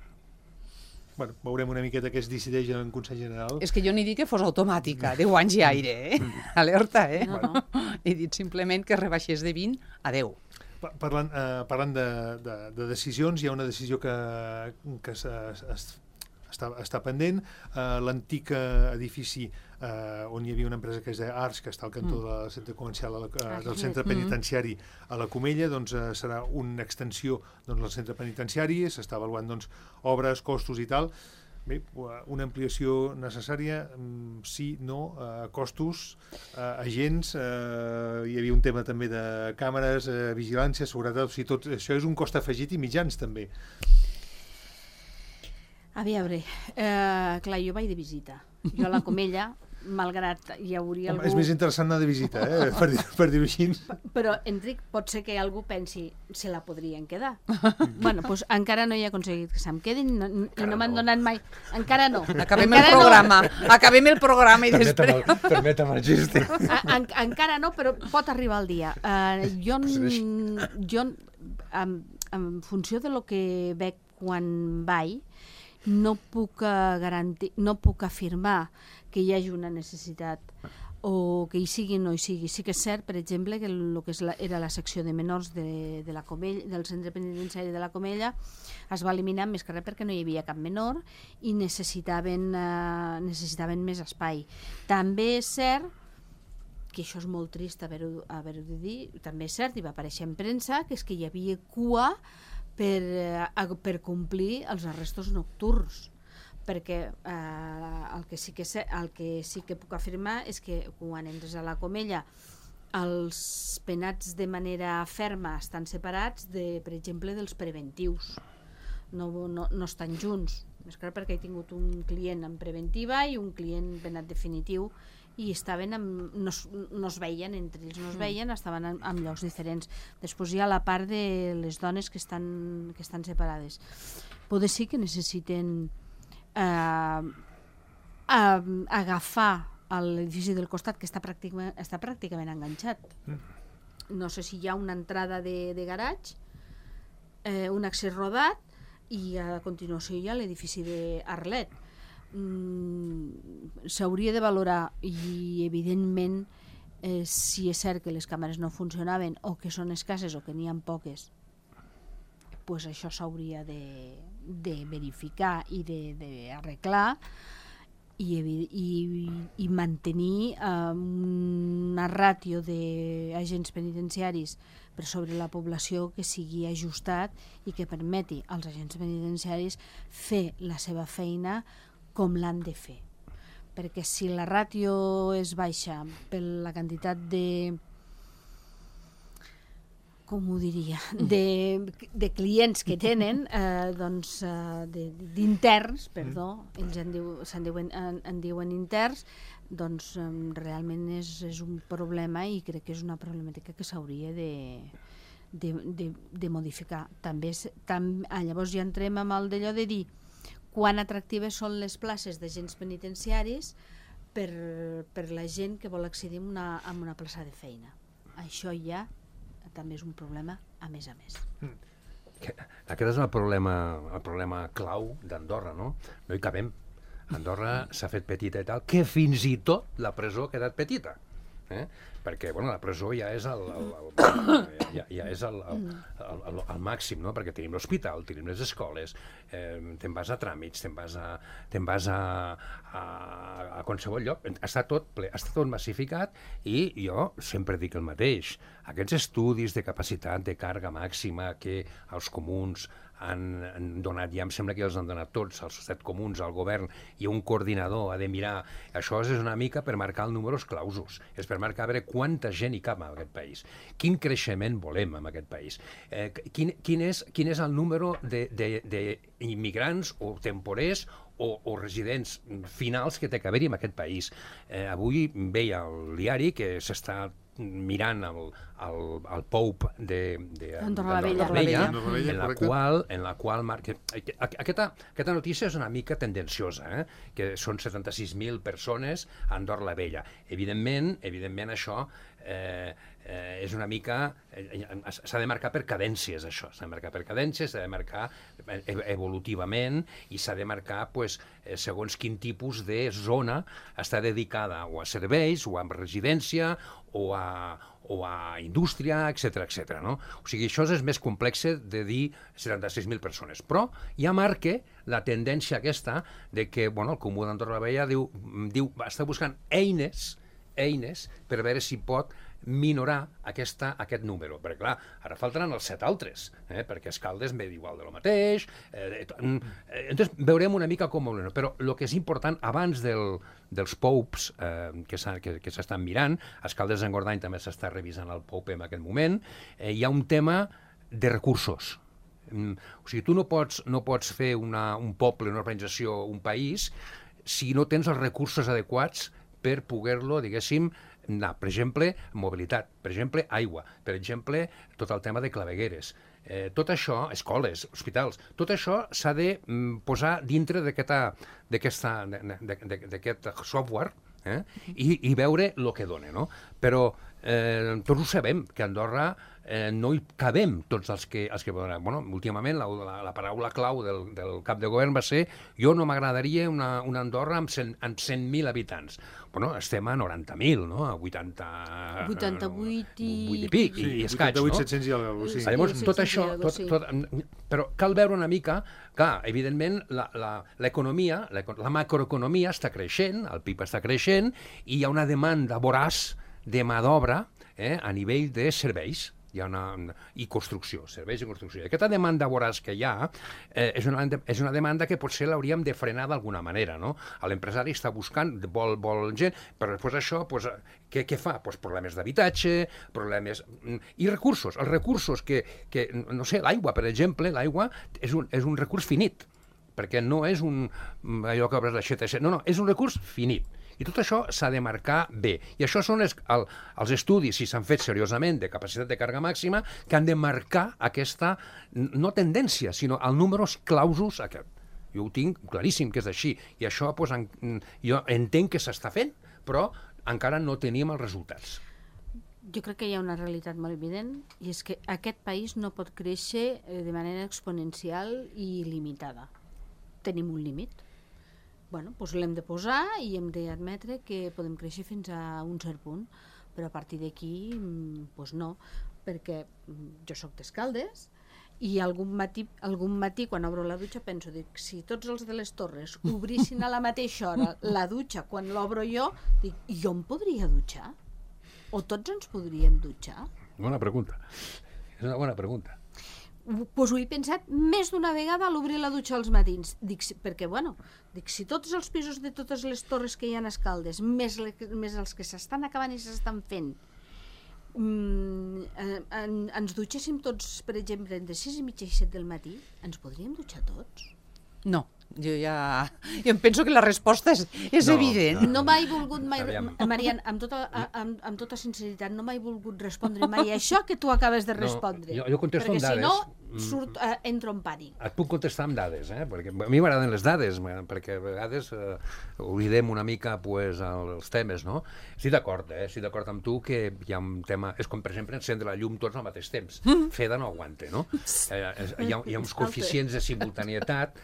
Bueno, veurem una miqueta què es decideix en el Consell General. És que jo ni dic que fos automàtica, 10 anys i aire, alerta, No. He dit simplement que rebaixés de 20 a 10. Parlant de decisions, hi ha una decisió que està pendent. L'antic edifici on hi havia una empresa que es deia Arts, que està al cantó del centre comercial del centre penitenciari a la Comella, doncs serà una extensió del centre penitenciari, s'està avaluant obres, costos i tal. Bé, una ampliació necessària, sí, no, costos, agents, hi havia un tema també de càmeres, vigilància, seguretat, o sigui, tot això és un cost afegit i mitjans també. A veure, clar, jo vaig de visita. Jo a la Comella, malgrat hi hauria algú... És més interessant anar de visita, per dir-ho així. Però, Enric, pot ser que algú pensi se la podrien quedar. Bueno, doncs encara no he aconseguit que se'm quedin i no m'han donat mai... Encara no. Acabem el programa i després... Permetem el geste. Encara no, però pot arribar el dia. Jo, en funció de lo que veig quan vaig, no puc garantir, no puc afirmar que hi hagi una necessitat o que hi sigui o no hi sigui. Sí que és cert, per exemple, que el que era la secció de menors de la Comella, del centre penitenciari de la Comella es va eliminar més que res perquè no hi havia cap menor i necessitaven més espai. També és cert que això és molt trist haver-ho de dir, també és cert, i va aparèixer en premsa, que és que hi havia cua per complir els arrestos nocturns, perquè el que sí que puc afirmar és que quan entres a la Comella els penats de manera ferma estan separats, per exemple, dels preventius, no estan junts, més clar perquè he tingut un client en preventiva i un client penat definitiu i no es veien entre ells, estaven en llocs diferents. Després hi ha la part de les dones que estan separades. Potser sí que necessiten agafar l'edifici del costat, que està pràcticament enganxat. No sé si hi ha una entrada de garatge, un accés rodat, i a continuació hi ha l'edifici d'Arlet. S'hauria de valorar i evidentment si és cert que les càmeres no funcionaven o que són escasses o que n'hi ha poques, pues això s'hauria de verificar i d'arreglar i mantenir una ràtio d'agents penitenciaris per sobre la població que sigui ajustat i que permeti als agents penitenciaris fer la seva feina com l'han de fer, perquè si la ràtio és baixa per la quantitat de clients que tenen, d'interns, ells en diuen interns, doncs realment és un problema i crec que és una problemàtica que s'hauria de modificar. Llavors ja entrem amb el d'allò de dir quan atractives són les places d'agents penitenciaris per la gent que vol accedir a una plaça de feina. Això ja també és un problema a més a més. Aquest és el problema clau d'Andorra, no? No hi cabem. Andorra s'ha fet petita i tal, que fins i tot la presó ha quedat petita. Perquè la presó ja és el màxim, no? Perquè tenim l'hospital, tenim les escoles, te'n vas a tràmits, te'n vas a qualsevol lloc. Està tot massificat i jo sempre dic el mateix. Aquests estudis de capacitat de càrrega màxima que els comuns han donat, ja em sembla que els han donat tots, els 7 comuns, al govern, i un coordinador ha de mirar. Això és una mica per marcar els números clausos, és per marcar a veure quanta gent hi cap en aquest país, quin creixement volem en aquest país, quin és el número d'immigrants o temporers o residents finals que té que haver-hi en aquest país. Avui veia al diari que s'està mirant el POUP d'Andorra la Vella, en la qual marca... Aquesta notícia és una mica tendenciosa, que són 76.000 persones a Andorra la Vella. Evidentment això és una mica... S'ha de marcar per cadències, això. S'ha de marcar per cadències, s'ha de marcar evolutivament i s'ha de marcar segons quin tipus de zona està dedicada o a serveis, o a residència, o a indústria, etc. No? O sigui, això és més complex de dir 76.000 persones. Però ja marca la tendència aquesta de que el Comú d'Andorra la Vella està buscant eines per veure si pot minorar aquest número. Perquè, clar, ara faltaran els 7 altres, perquè Escaldes ve igual de lo mateix. Entonces, veurem una mica com... Però el que és important, abans dels POUPs que s'estan mirant, Escaldes d'Engordany també s'està revisant el POUP en aquest moment, hi ha un tema de recursos. O sigui, tu no pots fer un poble, una organització, un país, si no tens els recursos adequats per poder-lo, diguéssim, anar. Per exemple, mobilitat, per exemple, aigua, per exemple, tot el tema de clavegueres. Tot això, escoles, hospitals, tot això s'ha de posar dintre d'aquest software i veure el que dona, no? Però tots ho sabem, que a Andorra no hi cabem tots els que volen. Últimament la paraula clau del cap de govern va ser jo no m'agradaria una Andorra amb 100.000 habitants. Estem a 90.000, no? A 88 i pic, i escaig, no? 88, 700 i alguna cosa, sí. Llavors, tot això... Però cal veure una mica... Clar, evidentment, l'economia, la macroeconomia està creixent, el PIB està creixent, i hi ha una demanda voraç de mà d'obra a nivell de serveis. I construcció, serveis i construcció. Aquesta demanda voraç que hi ha és una demanda que potser l'hauríem de frenar d'alguna manera, no? L'empresari està buscant, vol gent, però després això, què fa? Problemes d'habitatge, problemes... I recursos. Els recursos que no sé, l'aigua, per exemple, l'aigua és un recurs finit, perquè no és allò que obres l'aixeta, no, és un recurs finit. I tot això s'ha de marcar bé. I això són els estudis, si s'han fet seriosament, de capacitat de càrrega màxima, que han de marcar aquesta, no tendència, sinó el números clausos aquest. Jo ho tinc claríssim que és així. I això jo entenc que s'està fent, però encara no tenim els resultats. Jo crec que hi ha una realitat molt evident, i és que aquest país no pot créixer de manera exponencial i il·limitada. Tenim un límit. Doncs l'hem de posar i hem d'admetre que podem créixer fins a un cert punt, però a partir d'aquí no, perquè jo soc d'Escaldes i algun matí quan obro la dutxa penso, si tots els de les Torres obrissin a la mateixa hora la dutxa quan l'obro jo, jo em podria dutxar? O tots ens podríem dutxar? Bona pregunta. És una bona pregunta. Doncs ho he pensat més d'una vegada a l'obrir la dutxa als matins. Perquè, si tots els pisos de totes les torres que hi ha a Escaldes, més els que s'estan acabant i s'estan fent, ens dutxéssim tots, per exemple, entre 6:30 i 7 del matí, ens podríem dutxar tots? No. Jo em penso que la resposta és evident. No m'he volgut mai, Marian, amb tota sinceritat, no m'he volgut respondre mai això que tu acabes de respondre. Jo contesto amb dades. Perquè si no, entro en pànic. Et puc contestar amb dades, perquè a mi m'agraden les dades, perquè a vegades oblidem una mica els temes, no? Estic d'acord amb tu que hi ha un tema... És com, per exemple, encendre la llum tots al mateix temps. Feda no aguanta, no? Hi ha uns coeficients de simultanietat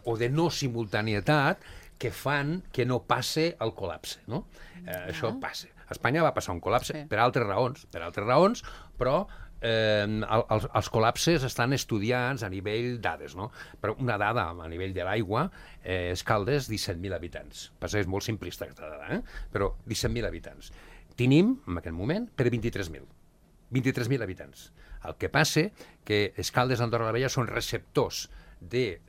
o de no simultanietat que fan que no passe el col·lapse, no? Això passa. A Espanya va passar un col·lapse per altres raons, però els col·lapses estan estudiats a nivell dades, no? Però una dada a nivell de l'aigua és Caldes, 17.000 habitants. Passa que és molt simplista aquesta dada, però 17.000 habitants. Tenim, en aquest moment, per 23.000. 23.000 habitants. El que passa que Escaldes, Andorra la Vella són receptors de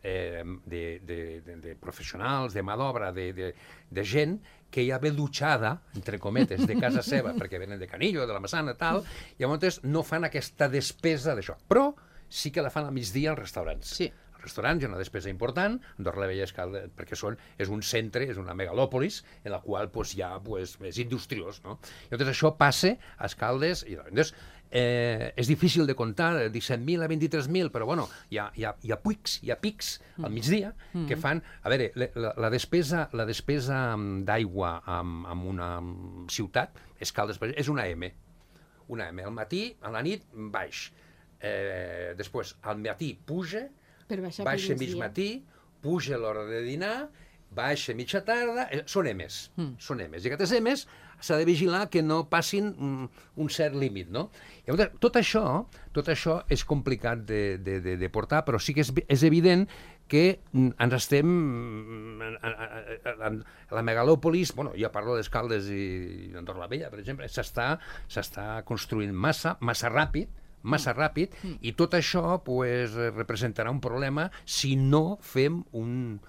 professionals, de mà d'obra, de gent que ja ve dutxada, entre cometes, de casa seva, perquè venen de Canillo, de la Massana, tal, i llavors no fan aquesta despesa d'això. Però sí que la fan al migdia als restaurants. Sí. Els restaurants hi ha una despesa important, Andorra la Vella perquè és un centre, és una megalòpolis, en la qual hi ha és industriós, no? Llavors això passa a Escaldes, i llavors és difícil de comptar, 17.000 a 23.000, però bueno, hi ha pics al migdia que fan... A veure, la despesa d'aigua en una ciutat, Escaldes, és una M. Una M. Al matí, a la nit, baix. Després, al matí puja, baixa mig matí, puja a l'hora de dinar, baixa mitja tarda, són M's. Són M's. I aquestes M's s'ha de vigilar que no passin un cert límit, no? Llavors, tot això és complicat de portar, però sí que és evident que ens estem... La megalòpolis, bueno, ja parlo d'Escaldes i d'Andorra la Vella, per exemple, s'està construint massa ràpid, i tot això representarà un problema si no fem un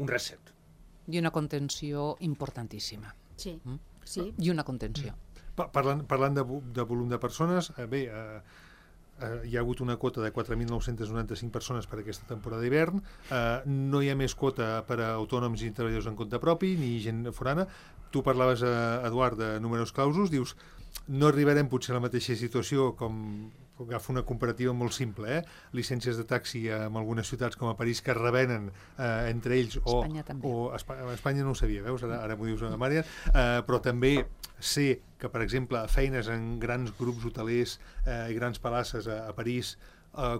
reset. I una contenció importantíssima. Sí. I una contenció. Parlant de volum de persones, hi ha hagut una quota de 4.995 persones per aquesta temporada d'hivern, no hi ha més quota per a autònoms i treballadors en compte propi, ni gent forana. Tu parlaves, Eduard, de números clausos, dius, no arribarem potser a la mateixa situació com... Agafo una comparativa molt simple, llicències de taxi en algunes ciutats com a París que es revenen entre ells Espanya també. A Espanya no ho sabia, veus? Ara m'ho dius, Mària, però també sé que, per exemple, feines en grans grups hotelers i grans palaces a París,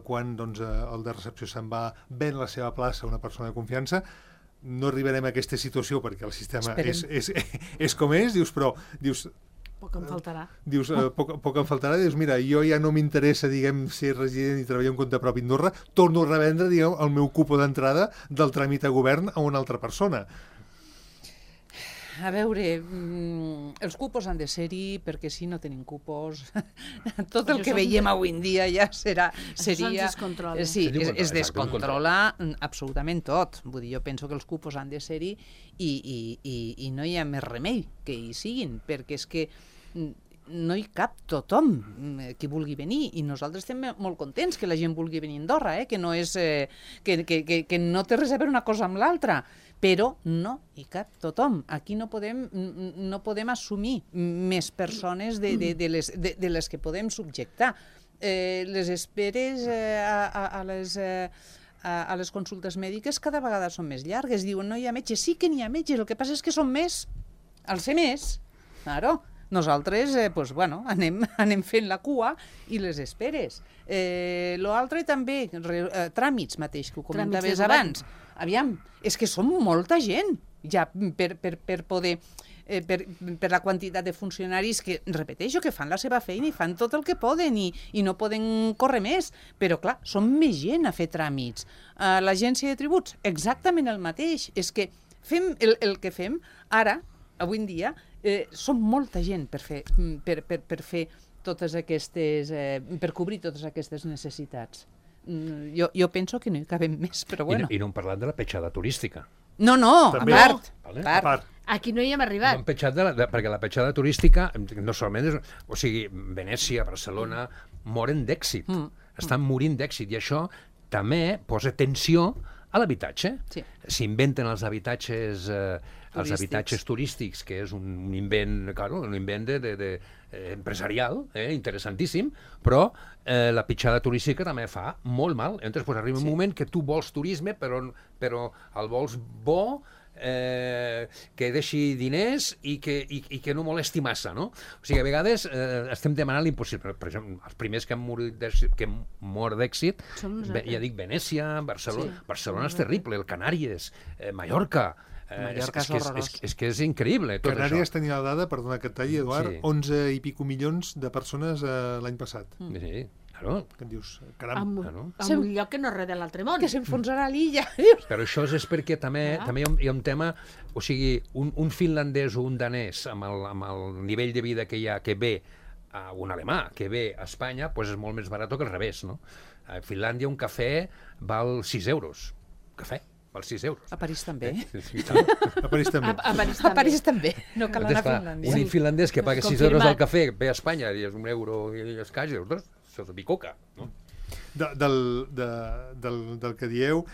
quan el de recepció se'n va, ven la seva plaça a una persona de confiança, no arribarem a aquesta situació perquè el sistema és com és, però poc em faltarà. Dius, poc em faltarà, dius, mira, jo ja no m'interessa, diguem, ser resident i treballar en compte propi a Andorra, torno a revendre, diguem, el meu cupo d'entrada del tràmit a govern a una altra persona. A veure, els cupos han de ser-hi, perquè si no tenim cupos, tot el que veiem avui en dia ja seria... Això se'ns descontrola. Sí, es descontrola absolutament tot. Vull dir, jo penso que els cupos han de ser-hi i no hi ha més remei que hi siguin, perquè és que no hi cap tothom que vulgui venir, i nosaltres estem molt contents que la gent vulgui venir a Andorra, que no és que no té res a veure una cosa amb l'altra, però no hi cap tothom. Aquí no podem assumir més persones de les que podem subjectar. Les esperes a les consultes mèdiques cada vegada són més llargues. Diuen, no hi ha metges. Sí que n'hi ha metges, el que passa és que són més. Al ser més, claro, nosaltres anem fent la cua i les esperes. L'altre també, tràmits mateix, que ho comentaves abans. Aviam, és que som molta gent ja per poder... per la quantitat de funcionaris que, repeteixo, que fan la seva feina i fan tot el que poden i no poden córrer més. Però, clar, som més gent a fer tràmits. L'agència de tributs, exactament el mateix. És que fem el que fem ara, avui en dia, som molta gent per fer totes aquestes... per cobrir totes aquestes necessitats. Jo penso que no hi cabem més, però bueno. I no hem parlat de la petjada turística. No, a part. Aquí no hi hem arribat. No hem petjat perquè la petjada turística, no solament és... O sigui, Venècia, Barcelona, moren d'èxit. Estan morint d'èxit. I això també posa tensió a l'habitatge. Sí. S'inventen els habitatges turístics, que és un invent, claro, un invent empresarial, interessantíssim, però la pitjada turística també fa molt mal. Entonces, pues, arriba un moment que tu vols turisme, però el vols bo, que deixi diners i que no molesti massa, no? O sigui, a vegades estem demanant l'impossible. Per exemple, els primers que han mort d'èxit, ja dic, Venècia, Barcelona. Barcelona és terrible, el Canàries, Mallorca. Mallorca és horrorós. És que és increïble, tot Canàries això. tenia la dada, perdona que et talli, Eduard, Sí. 11 i pico milions de persones l'any passat. Sí, claro. Que et dius, caram. Claro. A un lloc que no és res de l'altre món. Que s'enfonsarà l'illa. Però això és perquè també hi ha un tema, o sigui, un finlandès o un danès amb el nivell de vida que hi ha, que ve, un alemà que ve a Espanya, doncs és molt més barat que al revés, no? A Finlàndia un cafè val 6 euros. Cafè val 6 euros. A París també. Sí, A París també. A París també. No cal anar a Finlàndia. Un finlandès que paga 6 Confirmat. euros al cafè ve a Espanya i és un euro i escaig, això és bicoca, no? Del que dieu,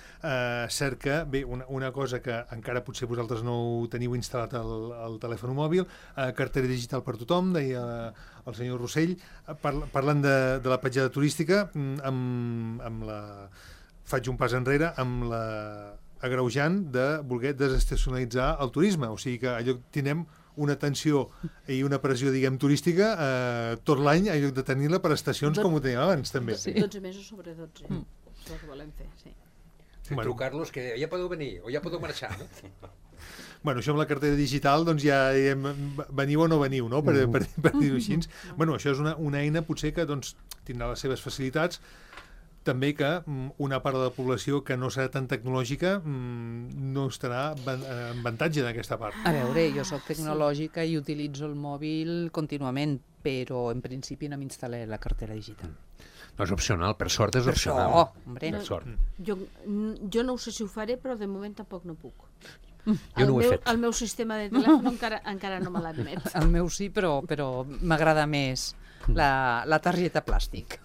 cert que, bé, una cosa que encara potser vosaltres no ho teniu instal·lat al telèfon mòbil, cartera digital per tothom, deia el senyor Rossell, parlant de la petjada turística, faig un pas enrere amb la agreujant de voler desestacionalitzar el turisme, o sigui que allò tindrem una tensió i una pressió, diguem, turística tot l'any, en lloc de tenir-la per estacions com ho teníem abans, també. Sí. 12 mesos sobre 12. És el que volem fer, sí. Bueno, trucar-los que ja podeu venir o ja podeu marxar. Bueno, això amb la cartera digital, doncs ja diguem, veniu o no veniu, no? Per dir-ho així. Bueno, això és una eina potser que doncs, tindrà les seves facilitats, també que una part de la població que no serà tan tecnològica no estarà en avantatge d'aquesta part. A veure, jo sóc tecnològica i utilitzo el mòbil contínuament, però en principi no m'instal·lé la cartera digital. No és opcional, per sort és opcional. Oh, hombre. Per sort. Jo no ho sé si ho faré, però de moment tampoc no puc. Jo no ho he fet. El meu sistema de telèfon encara no me l'admet. El meu sí, però m'agrada més la targeta plàstic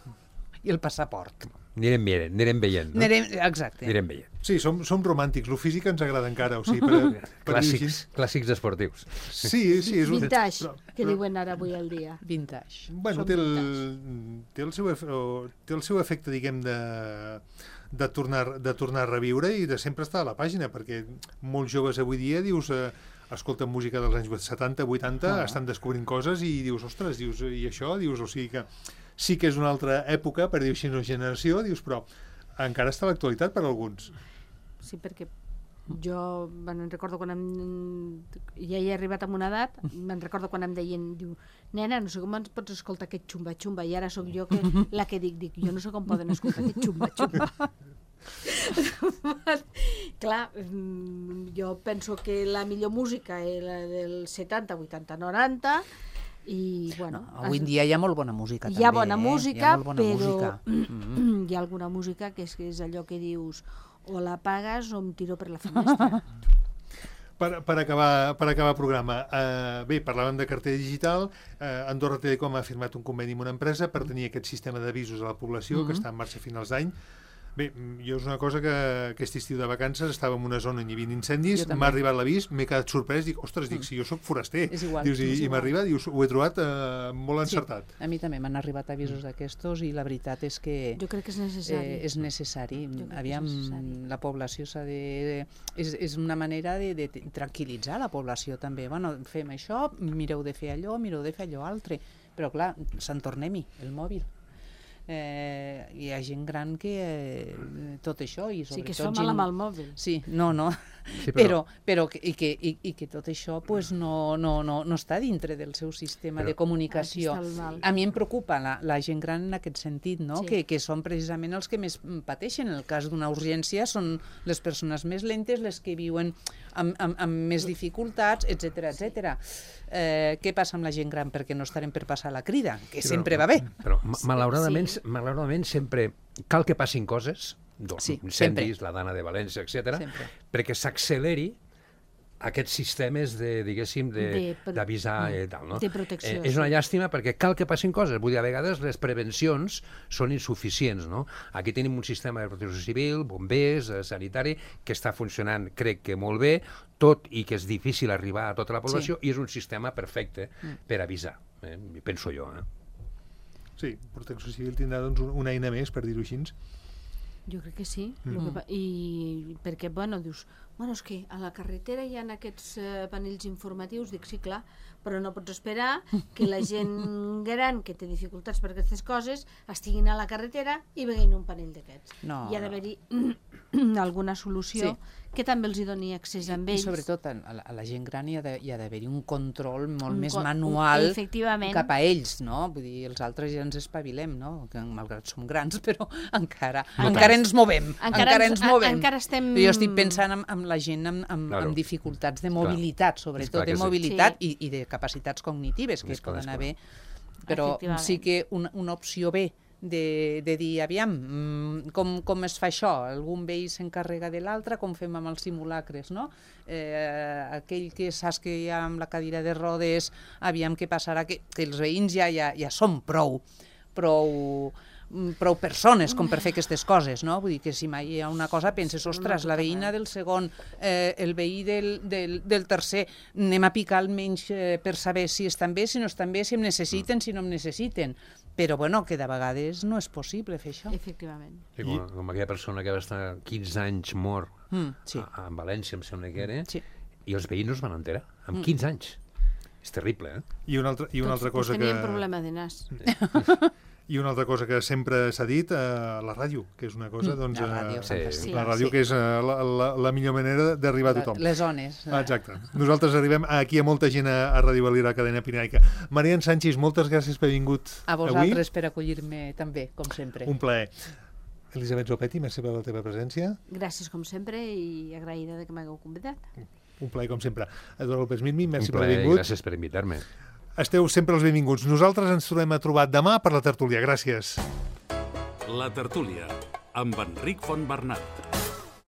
i el passaport. Anirem veient, no? Exacte. Anirem veient. Sí, som romàntics, lo físic ens agrada encara, o sigui, Clàssics esportius. Sí, és un... Vintage, que diuen ara avui al dia. Vintage. Bueno, té el seu efecte, diguem, de tornar a reviure i de sempre estar a la pàgina, perquè molts joves avui dia, dius, escolten música dels anys 70, 80, estan descobrint coses i dius, ostres, i això, dius, o sigui que sí que és una altra època, per dir-ho així, una generació, dius, però encara està a l'actualitat per a alguns. Sí, perquè jo me'n recordo quan ja he arribat a una edat, me'n recordo quan em deien, diu, nena, no sé com ens pots escoltar aquest xumba-xumba, i ara sóc jo la que dic, jo no sé com poden escoltar aquest xumba-xumba. Clar, jo penso que la millor música és la del 70, 80, 90, i bueno... Avui en dia hi ha molt bona música, també. Hi ha bona música, però hi ha alguna música que és allò que dius o la pagues o em tiro per la finestra. Per acabar el programa, bé, parlàvem de cartera digital, Andorra Telecom ha firmat un conveni amb una empresa per tenir aquest sistema d'avisos a la població que està en marxa a finals d'any. Bé, jo és una cosa que aquest estiu de vacances estava en una zona on hi havia incendis, m'ha arribat l'avís, m'he quedat sorprès, dic, ostres, si jo sóc foraster. És igual. Dius, i m'arriba, dius, ho he trobat molt encertat. Sí, a mi també m'han arribat avisos d'aquestos i la veritat és que... Jo crec que és necessari. És necessari. Aviam, la població s'ha de... És una manera de tranquil·litzar la població també. Bueno, fem això, mireu de fer allò, mireu de fer allò altre. Però clar, se'n tornem-hi, el mòbil. Hi ha gent gran que tot això i sí, que es fa mal amb el mòbil. Sí, no. Sí, però que tot això pues, no està dintre del seu sistema de comunicació. A mi em preocupa la gent gran en aquest sentit, no? Sí. Que són precisament els que més pateixen. En el cas d'una urgència són les persones més lentes, les que viuen amb més dificultats, etc. Què passa amb la gent gran? Perquè no estarem per passar la crida, que sempre va bé. Però malauradament sempre cal que passin coses, incendis, la Dana de València, etc., perquè s'acceleri aquests sistemes de, diguéssim, d'avisar i tal, no? De protecció. És una llàstima perquè cal que passin coses. Vull dir, a vegades les prevencions són insuficients, no? Aquí tenim un sistema de protecció civil, bombers, sanitari, que està funcionant, crec que molt bé, tot i que és difícil arribar a tota la població, i és un sistema perfecte per avisar, penso jo. Sí, Protecció Civil tindrà doncs, una eina més, per dir-ho així. Jo crec que sí. I perquè, bueno, dius, bueno, és que a la carretera hi ha aquests panells informatius, dic, sí, clar, però no pots esperar que la gent gran que té dificultats per aquestes coses estiguin a la carretera i veguin un panell d'aquests. No, hi ha d'haver-hi alguna solució que també els hi doni accés a ells. I sobretot a la gent gran hi ha d'haver-hi un control molt més manual cap a ells, no? Vull dir, els altres ja ens espavilem, no? Que malgrat som grans, però encara ens movem. Encara estem... Jo estic pensant en la gent amb dificultats de mobilitat, sobretot de mobilitat i de capacitats cognitives que poden haver, però sí que una opció B de dir, aviam, com es fa això? Algun veí s'encarrega de l'altre, com fem amb els simulacres, no? Aquell que saps que hi ha amb la cadira de rodes, aviam què passarà, que els veïns ja són prou persones com per fer aquestes coses, no? Vull dir que si mai hi ha una cosa penses, ostres, la veïna del segon, el veí del tercer, anem a picar almenys per saber si estan bé, si no estan bé, si em necessiten, si no em necessiten. Però, bueno, que de vegades no és possible fer això. Efectivament. Sí, com aquella persona que va estar 15 anys mort a València, em sembla que era, i els veïns no es van enterar, amb 15 anys. És terrible, eh? I una altra cosa que... Tenien problema de nas. I una altra cosa que sempre s'ha dit, la ràdio, que és una cosa, doncs... La ràdio, que és la millor manera d'arribar a tothom. Les zones. Exacte. Nosaltres arribem aquí a molta gent a Ràdio Valira, cadena Pirinaica. Marian Sánchez, moltes gràcies per haver vingut avui. A vosaltres per acollir-me també, com sempre. Un plaer. Elisabet Zopetti, merci per la teva presència. Gràcies, com sempre, i agraïda que m'hagueu convidat. Un plaer, com sempre. Eduard López Mimi, merci per haver vingut. Gràcies per invitar-me. Esteu sempre els benvinguts. Nosaltres ens tornem a trobar demà per la tertúlia. Gràcies. La tertúlia, amb Enric Fontbernat.